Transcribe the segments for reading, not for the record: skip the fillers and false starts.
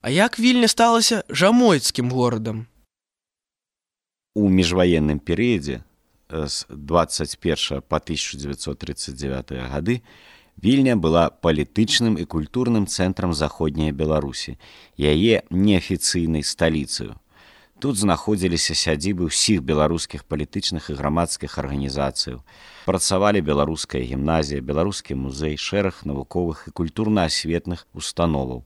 А як Вільня сталася жамойцкім горадам? У міжваенным перыядзе з 21 па 1939 гады Вільня была палітычным і культурным цэнтрам заходняй Беларусі, яе неафіцыйнай сталіцаю. Тут знаходзіліся сядзібы ўсіх беларускіх палітычных і грамадскіх арганізацыяў. Працавалі беларуская гімназія, беларускі музей, шэраг навуковых і культурна-асветных установаў,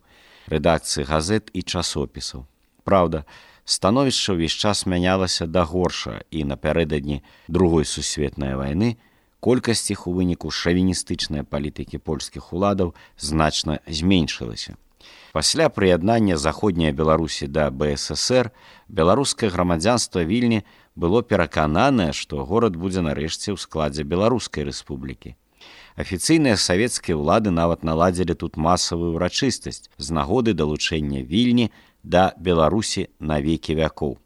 рэдакцыі газет і часопісаў. Праўда, становішча ўвесь час мянялася да горша, і напярэдадні Другой сусветнай вайны колькасць іх у выніку шавіністычнай палітыкі польскіх уладаў значна зменшылася. Пасля прыяднання заходняй Беларусі да БССР беларускае грамадзянства Вільні было перакананае, што горад будзе нарэшце ў складзе Беларускай рэспублікі. Афіцыйныя савецкія ўлады нават наладзілі тут масавую ўрачыстасць з нагоды далучэння Вільні да Беларусі на векі вякоў.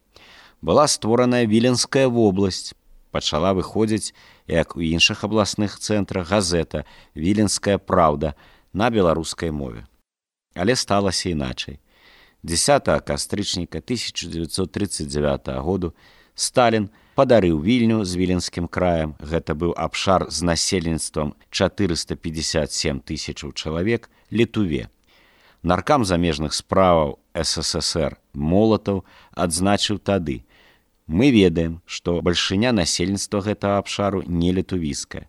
Была створаная Віленская вобласць, пачала выходзіць, як у іншых абласных цэнтрах, газета «Віленская праўда» на беларускай мове. Але сталася іначай. 10 кастрычніка 1939 году Сталін падарыў Вільню з Віленскім краем, гэта быў абшар з насельніцтвам 457 тысячаў чалавек, Літуве. Наркам замежных справаў СССР Молатаў адзначыў тады: «Мы ведаем, што бальшыня насельніцтва гэтага абшару не літувійская,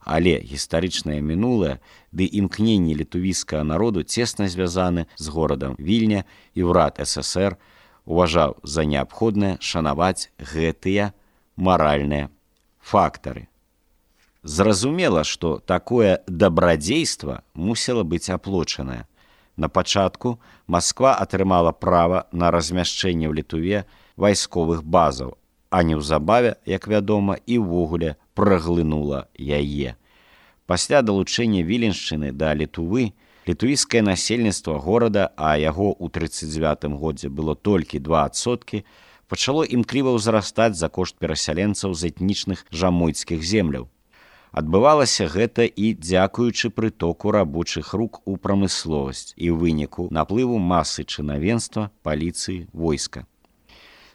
але гістарычнае мінулае ды імкненні літувійскага народу цесна звязаны з горадам Вільня, і ўрад ССР уважаў за неабходнае шанаваць гэтыя маральныя фактары». Зразумела, што такое дабрадзейства мусіла быць аплочанае. На пачатку Масква атрымала права на размяшчэнне ў Літуве вайсковых базаў, а неўзабаве, як вядома, і ўвогуле праглынула яе. Пасля далучэння Віленшчыны да Літувы, літуійскае насельніцтва горада, а яго ў 1939 годзе было толькі 2%, пачало імкліва ўзрастаць за кошт перасяленцаў з этнічных жамойцкіх земляў. Адбывалася гэта і дзякуючы прытоку рабочых рук у прамысловасць і ў выніку наплыву масы чынавенства, паліцыі, войска.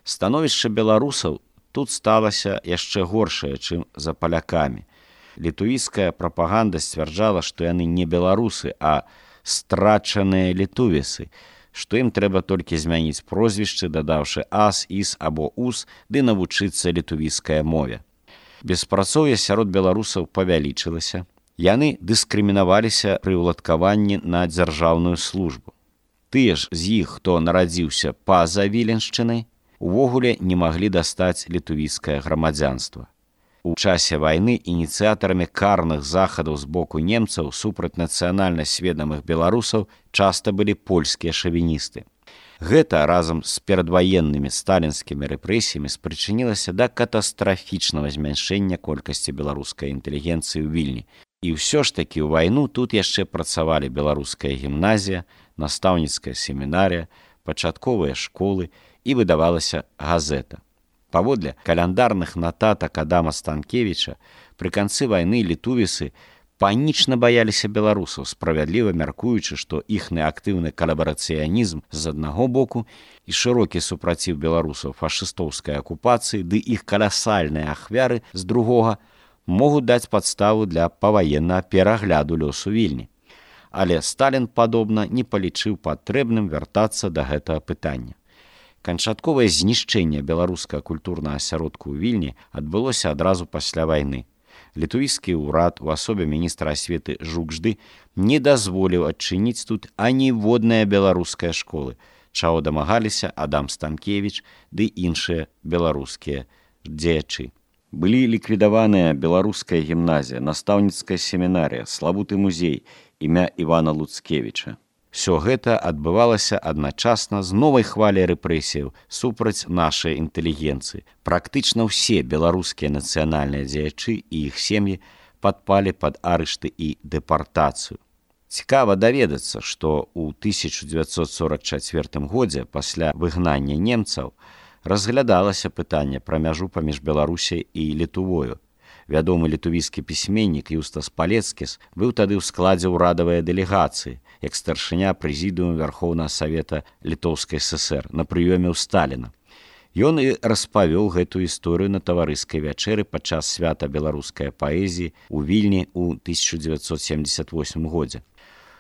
Становішча беларусаў тут сталася яшчэ горшае, чым за палякамі. Літуійская прапаганда сцвярджала, што яны не беларусы, а страчаныя літувісы, што ім трэба толькі змяніць прозвішчы, дадаўшы ас, іс або ус, ды навучыцца літувійскай мове. Беспрацоўе сярод беларусаў павялічылася. Яны дыскрымінаваліся пры ўладкаванні на дзяржаўную службу. Тыя ж з іх, хто нарадзіўся па-за Віленшчынай, увогуле не маглі дастаць літувійскае грамадзянства. У часе вайны ініцыятарамі карных захадаў з боку немцаў супраць нацыянальна сведамых беларусаў часта былі польскія шавіністы. Гэта разам з перадваеннымі сталінскімі рэпрэсіямі спрычынілася да катастрафічнага змяншэння колькасці беларускай інтэлігенцыі ў Вільні. І ўсё ж такі ў вайну тут яшчэ працавалі беларуская гімназія, настаўніцкая семінарія, пачатковыя школы і выдавалася газета. Паводле каляндарных нататак Адама Станкевіча, пры канцы вайны літувісы панічна баяліся беларусаў, справядліва мяркуючы, што іхны актыўны калабарацыянізм з аднаго боку і шырокі супраціў беларусаў фашыстоўскай акупацыі ды іх каласальныя ахвяры з другога могуць даць падставу для паваеннага перагляду лёсу Вільні. Але Сталін, падобна, не палічыў патрэбным вяртацца да гэтага пытання. Канчатковае знішчэнне беларускага культурнага асяродку ў Вільні адбылося адразу пасля вайны. Літуійскі ўрад у асобе міністра асветы Жукжды не дазволіў адчыніць тут аніводныя беларускія школы, чаго дамагаліся Адам Станкевіч ды іншыя беларускія дзеячы. Былі ліквідаваныя беларуская гімназія, настаўніцкая семінарія, славуты музей, імя Івана Луцкевіча. Всё гэта адбывалася адначасна з новай хваляй рэпрэсіяў супраць нашай інтэлігенцыі. Практычна ўсе беларускія нацыянальныя дзеячы і іх сем'і падпалі пад арышты і дэпартацыю. Цікава даведацца, што ў 1944 годзе пасля выгнання немцаў разглядалася пытанне пра мяжу паміж Беларусяй і Літувою. Вядомы літувійскі пісьменнік Юстас Палецкіс быў тады ў складзе ўрадавай дэлегацыі, як старшыня прэзідыума Вярхоўнага Савета Літоўскай ССР на прыёме ў Сталіна. Ён і распавёў гэтую гісторыю на таварыскай вячэры падчас свята беларускай паэзіі ў Вільні ў 1978 годзе.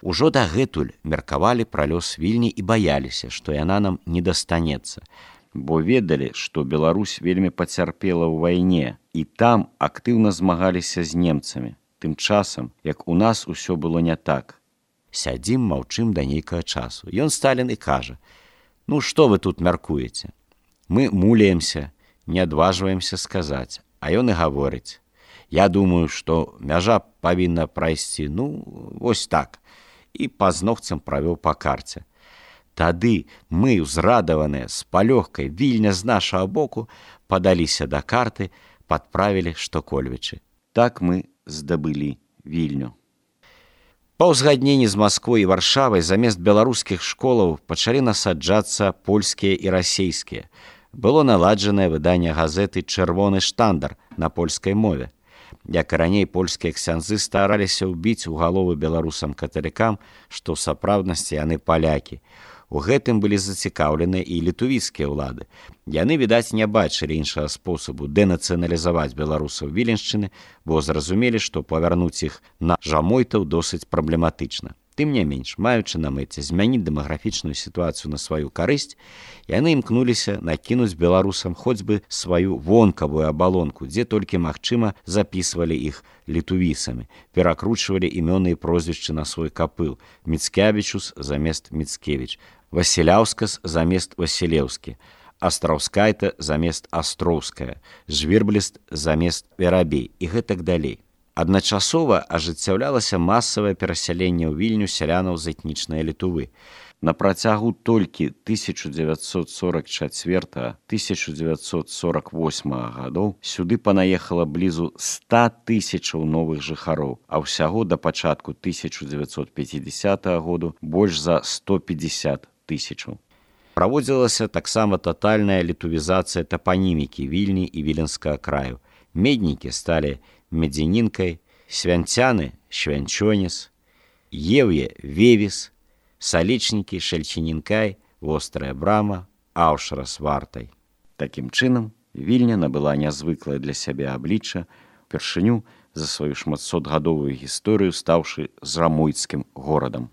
Ужо дагэтуль меркавалі пра лёс Вільні і баяліся, што яна нам не дастанецца, бо ведалі, што Беларусь вельмі пацярпела ў вайне, і там актыўна змагаліся з немцамі. Тым часам, як у нас усё было не так. Сядзім, маўчым да нейкага часу. Ён Сталін і кажа: «Ну, што вы тут мяркуеце? Мы муляемся, не адважваемся сказаць». А ён і гаворыць: «Я думаю, што мяжа павінна прайсці, вось так». І пазногцам правёў па карце. Тады мы, узрадаваныя, з палёгкай, Вільня з нашага боку, падаліся да карты, падправілі Штокольвічы. Так мы здабылі Вільню. Па ўзгадненні з Масквой і Варшавай замест беларускіх школаў пачалі насаджацца польскія і расейскія. Было наладжанае выданне газеты «Чырвоны штандар» на польскай мове. Як і раней, польскія ксяндзы стараліся ўбіць у галовы беларусам-каталікам, што ў сапраўднасці яны палякі. У гэтым былі зацікаўленыя і літувійскія ўлады. Яны, відаць, не бачылі іншага спосабу дэнацыяналізаваць беларусаў Віленшчыны, бо зразумелі, што павярнуць іх на жамойтаў досыць праблематычна. Тым не менш, маючы на мэце змяніць дэмаграфічную сітуацыю на сваю карысць, яны імкнуліся накінуць беларусам хоць бы сваю вонкавую абалонку, дзе толькі магчыма запісвалі іх літувісамі, перакручвалі імёны і прозвішчы на свой капыл: Міцкевічус замест Міцкевіч, Васіляўскас замест Васілеўскі, Астраўскайта замест Астроўская, Жвірбліст замест Верабей і гэтак далей. Адначасова ажыццяўлялася масавае перасяленне ў Вільню сялянаў з этнічнай Літувы. На працягу толькі 1944-1948 гадоў сюды панаехала блізу 100 000 новых жыхароў, а ўсяго да пачатку 1950 году больш за 150 000. Праводзілася таксама татальная літувізацыя тапанімікі Вільні і Віленскага краю. Меднікі сталі Медзянінкай, свянцяны – Швянчонес, Еўе – Вевіс, Салічнікі – Шальчінінкай, Вострая брама – Аўшрас Вартай. Такім чынам, Вільня набыла нязвыклае для сябе аблічча, упершыню за сваю шматсотгадовую гісторыю стаўшы жамойцкім горадам.